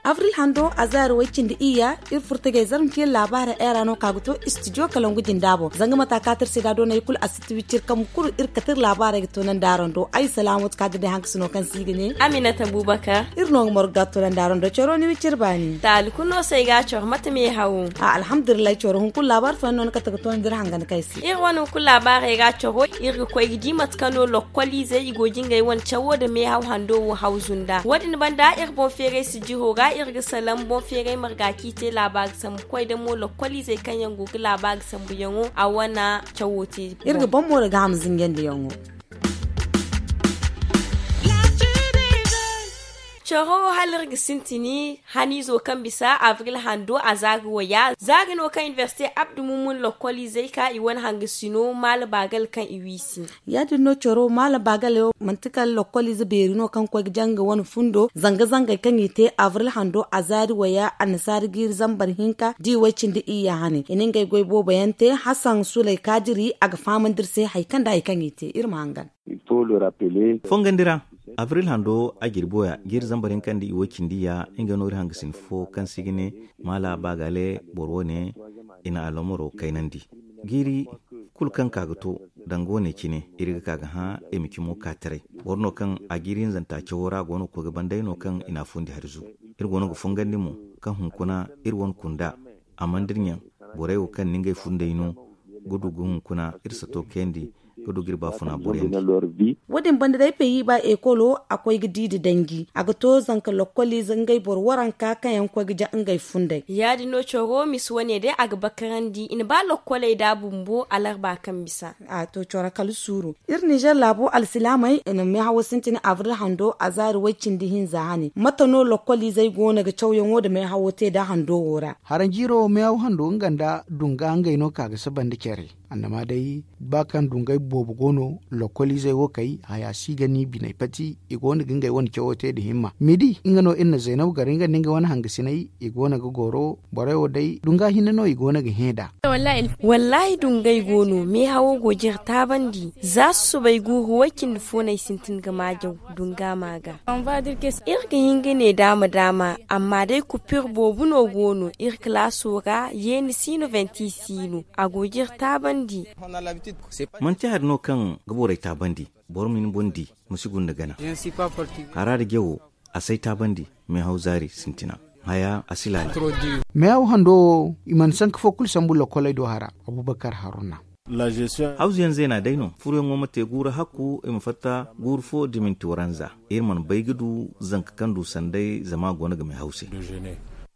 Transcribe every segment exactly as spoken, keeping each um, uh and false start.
Abril hando a zaari way cindi iyya. Iri furtagay zarma ciyaŋ laabaarey ay ra no ka ga to istidiyo kalangu jinda boŋ zanga mata kaati iri se da doonay kulu a si ti wiciri kambe kulu iri kate iri laabaarey ga toonandi araŋ do ay salaamatu ka ga day hankasino kaŋ se i ga ne aminata bubakar. Iri no ga margu ga toonandi araŋ do coro ni wiciri baani taali kulu no se ay ga a coro mate meehawo. A alhamdulillahi coro hunkuna laabaari fooyaŋ no ni kate ga toonandi iri hanganda kaŋ ay se iri wane hunkuna laabaarey ga a coro iri ga koy ga di mate kaŋ no lokkoliizey i go ga ngey wane cawo nda meehaw hando wo hawzu nd'a wo- din banda iri boŋ feeray sijiro ra iri ga salaŋ boŋ feeray marga kaŋ i te laabaari sambu koy da mo lokkoliizey kaŋ yaŋ go ga laabaari sambuyaŋo a wane cawo te. Iri ga boŋ mo da gaaham zinjandiyaŋo. Coro hala iri ga sintini haniizo kaŋ bisa abril hando a zaari waya zaari no kaŋ inibersite abdu mumun lokkoliizey ka i wane hangasino maala baagal kaŋ i wiisi. Ya- din no coro maala baagal wo manti kala lokkoliize beeri no kaŋ ga koy ga jaŋ nga wane fundo zanga-zangey kaŋ i te abril hando a zaari waya annasaari jiiri zambar hinka da i way cindi iyya hane i na ngey goy boobo yaŋ te hasan suley kaadiri a ga fahamandi iri se hari kaŋ nda hari kaŋ i te iri ma hangan. Fongandi ra abril hando a jirbi waya jiiri zambar hinka nda i way cindi iyya nga no iri hangasin fo kaŋ se i ga ne maala baagale boro wane i na alomaro kaynandi. Jiiri kulu kaŋ ka ga to danga wane cine iri ga ka ga hã i ma cimo ka taray. Boro no kaŋ a jiiri hinzanta cawo ra go no ga koy ga banda ay no kaŋ i na a fundi hari zu. Iri go no ga fongandi mo kaŋ hunkuna iri wane kunda a mana dira ɲaŋ borey wo kaŋ na ngey fundey no ga du ga hunkuna iri sato kayandi ga du ga iri baafuna boro yaŋ di. Wo- din banda day peyi ba ekolo a koy ga di nda danji a ga to zanka lokkoliize ngey boro waranka kaŋ yaŋ ga koy ga ja ngey fundey. Ya- din no coro misa wane day a ga bakarandi i na ba lokkoley da bumbo alarba kaŋ bisa. A to coro kala suuru. Iri nizer laabo alsilaamey i na meehawo sintin abril hando a zaari way cindi hinza hane mate no lokkoliizey go no ga cawyaŋo nda meehawo te nda hando wo ra? Haranjiiro meehaw hando nga nda dunga ngey no ka ga saba nda care. Annama day ba kaŋ dungay boobo go no lokkoliizey wo kay haya si ga ni biney pati i go no ga ngey wane cawo te nda himma midi nga no iri na zaynabu gar nga nda nga wane hangasiney i go no ga goro borey wo day dunga hinne no i go no ga hẽ nd'a. Wallaahi dungay go no meehawo go jire taabandi za susubay guuru way cindi fo no ay sintin ga maajaw dunga ma ga. Iri ga hin ga ne daama daama amma day kupir boobo no go no iri kalaaso ra yeeni si no venti si no a go ga iri taabandi. Manti hari no kaŋ ga borey taabandi boro ma ni boŋ di ma si gunda gana. Hara da jawo a si ay taabandi meehaw zaari sintina haya a si laala. Meehaw hando wo i mana sanka fo kulu sambu lokkoley do hara. Abubakar haruna. Hawzuyaŋ zeena day no furoyaŋo ma te guuru hakku i ma fatta guuru fo da minti waranza. Iri mana bay ga du zanka kaŋ du sanday zama a go no ga meehaw se.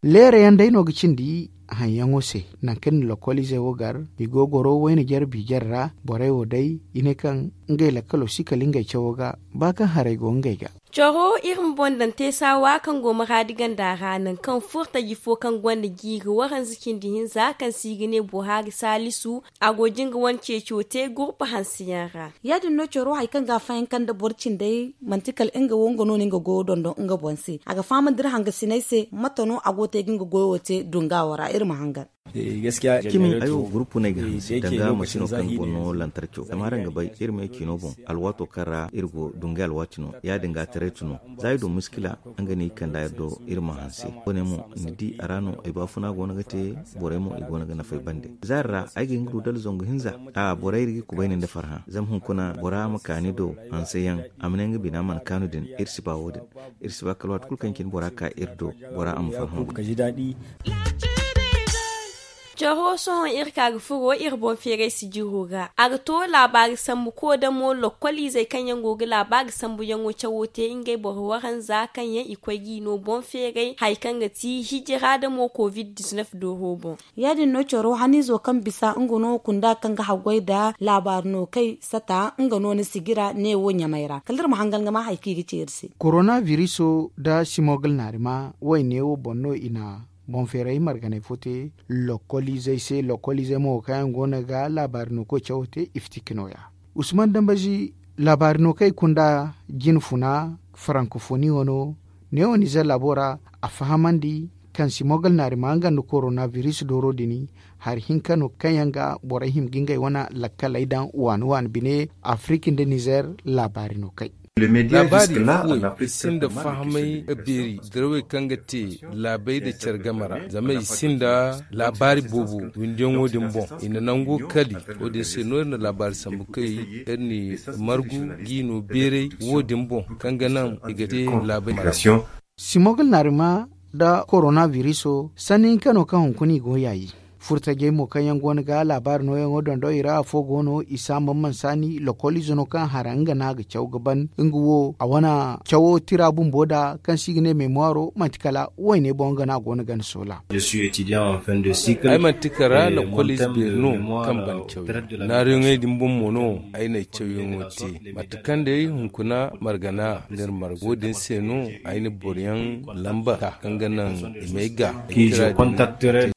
Leera yaŋ day no ga cindi haŋyaŋo se nangu kaŋ ni lokkoliizey wo gar i go goro wayna jare biijare ra borey wo day i ne kaŋ ngey lakkalo si kala ngey cawo ga ba kaŋ haray go ngey ga. Coro iri ma boŋ daŋ teesaawa kaŋ go maraadi ganda ra nangu kaŋ furtaji fo kaŋ gonda jiiri waranza cindi hinza kaŋ se i ga ne buhari saalisu a go ga nga wane ceeco te gurpa hanseyaŋ ra. Ya- din no coro hari kaŋ ga a fayanka nda boro cindey manti kala nga wo nga no no nga goyo dondon nga boŋ se a ga fahamandi iri hangasiney se mate no a go ga te ga nga goyo te dunga wo ra iri ma hangan. Cimi ay wo gurupu no ay ga hanse danga masino kaŋ boŋ no lantarco zama araŋ ga bay iri ma ye ciino boŋ alwaato kaŋ ra iri go dungay alwaati no ya- din ga a taray tun no. Za iri du miskila nga no i kand'a iri do iri ma hanse. Wo- ne mo ni di a ra no ay baafuna go no ga te borey mo i go no ga nafay bande. Zaari ra ay ga hin ga du dala zangu hinza a borey iri ga kubayni nda farhã zama hunkuna bora ma ka ni do hanseyaŋ a ma ne nga bina mana kaanu din iri si ba wo- din. Iri si ba kala waati kulu kaŋ cine bora ka iri do bora a ma farhã. Coro sohõ iri ka ga furo iri boŋ feeray sijiro ga a ga to laabaari sambu koodamo lokkoliizey kaŋ yaŋ go ga laabaari sambuyaŋo cawo te ngey boro waranza kaŋ yaŋ i koy g'i no boŋ feeray hari kaŋ ga ti hijira damo covid diznef dooro boŋ. Ya- din no coro haniizo kaŋ bisa nga no kunda kaŋ ga haggoy nda laabaari no kay sata nga no ni sijira neewo ɲamay ra kala iri ma hangan ga ma hari kaŋ i ga ci iri se. Korona viriso nda simogil naarima wayne wo boŋ no i na boŋ feeray marganay fo te lokkoliizey se lokkoliizey mo kaŋ yaŋ go no ga laabaari no koy cawo te i fiti ka nooya. Usman dambazi laabaari no kaŋ ay kunda jine funa farankofoni wano Neewo nizer laabo ra, a fahamandi kaŋ simogal naarima nga nda korona biris dooro din hari hinka no kaŋ yaŋ ga borey hima ga ngey wane lakkaley daŋ waani waani bine. Afirik nda nizer laabaari no kay. Laabaari fuwey i sinda fahamay beeri dirawey kaŋ ga te laabey nda care game ra, zama i sinda laabaari boobo windiyaŋo din boŋ. I na nango kali. Wo- din se no iri na laabaari sambu kay iri na i margu g'i no beeray wo- din boŋ, kaŋ ga naŋ i ga te laabey. Simogal naarima nda korona biriso sanni hinka no kaŋ hunkuna i go yaayi. Furtajey mo kaŋ yaŋ go no ga laabaari nooyaŋo dondo i ra afo go no isa mamman saani lokoliize no kaŋ hara nga no a ga caw ga ban nga wo a wane cawo tira bumbo nda kaŋ se i ga ne memoiro manti kala wayne boŋ nga no a go no ga ni soola. Ay manti kala lokoliize beeri no kaŋ ban caw. Naaruyaŋey din boŋ mo no ay na ay cawyaŋo te. Mate kaŋ day hunkuna margana nda iri marga wo- din se no ay na boroyaŋ lamba kaŋ ga naŋ i m'ay ga.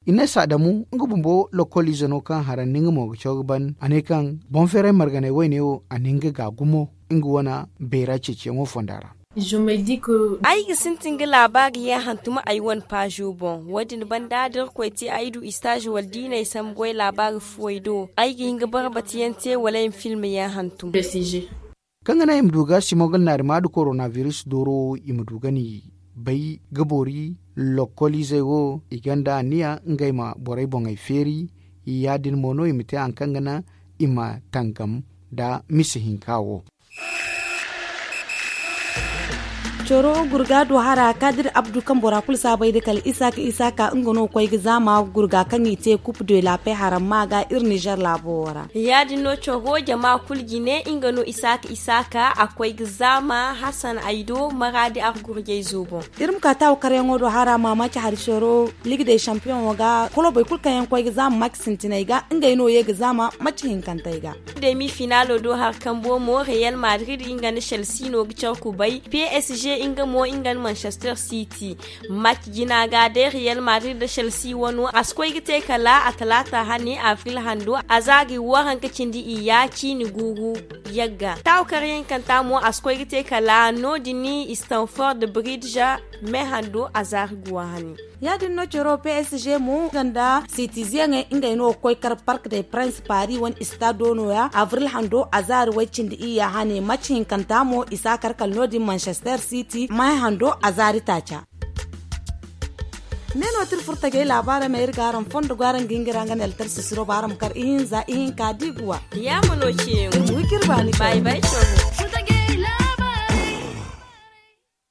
I ne saadamu nga bumbo lokoliize no kaŋ hara nda nga mo ga caw ga ban a ne kaŋ boŋ feeray marganay wayne wo a na nga ga gumo nga wane beera ceeciyaŋo fonda ra. Ay ga sintin ga laabaari yaŋ hantum ay wane paazo boŋ. Wo- din banda da irkoy te ay du istaazi wala diinay sambu goy laabaari fuwey do ay ga hin ga barbatiyaŋ te wala ay ma film yaŋ hantum. Kaŋ ga naŋ i ma du ga simogal naarima nda korona biris dooro i ma du ga ni bay ga boori lokoliizey wo i gonda anniya ngey ma borey boŋey feeri. Ya- din mo no i ma te hari kaŋ ga naŋ i ma tangam nda misa hinka wo. Coro gurga do hara kadir abdu kaŋ bora kulu saabay da kala isaaka isaaka nga no koy ga zaama gurga kaŋ i te kup de laapey haramma ga iri nizer laabo wo ra. Ya- din no coro jama kulu jine nga no isaaka isaaka a koy ga zaama hasan ay do maraadi argurjayzo boŋ. Iri ma ka taawu karyaŋo do hara maamaaci hari coro liga day sampiyoŋo ga kolobey kulu kaŋ yaŋ koy ga zaama maaci sintiney ga ngey no ye ga zaama maaci hinkantey ga. Demi finaalo do hari kambo mo reyal madrid nga nda chelsea no ga care kubay. Psg nga mo nga nda manchester city. Match jina ga day reyal madrid nda chelsea wano a si koy ga te kala a talaata hane avril hando a zaari waranka cindi iyya ciini guuru yagga taawu karyaŋ kanta mo a si koy ga te kala no- din stanford bridge me hando a zaari guwa hane. Ya- din no caro psg mo nga nda sitiziyaŋey ngey no ga koy kar park de prince paris wane istado no- ya avril hando a zaari way cindi iyya hane match hinkanta mo i si a kar kala no- din manchester city may hando a zaari taaca. Ne no tira furtajey laabaarey ma iri ga araŋ fondo go araŋ ga hin ga iri araŋ ga ne altar sisiro ba araŋ ma kar ihinza ihinka da i ga wa. Yaama no ceeyaŋo. Iri ma wi ga iri baani. Bay bay caro.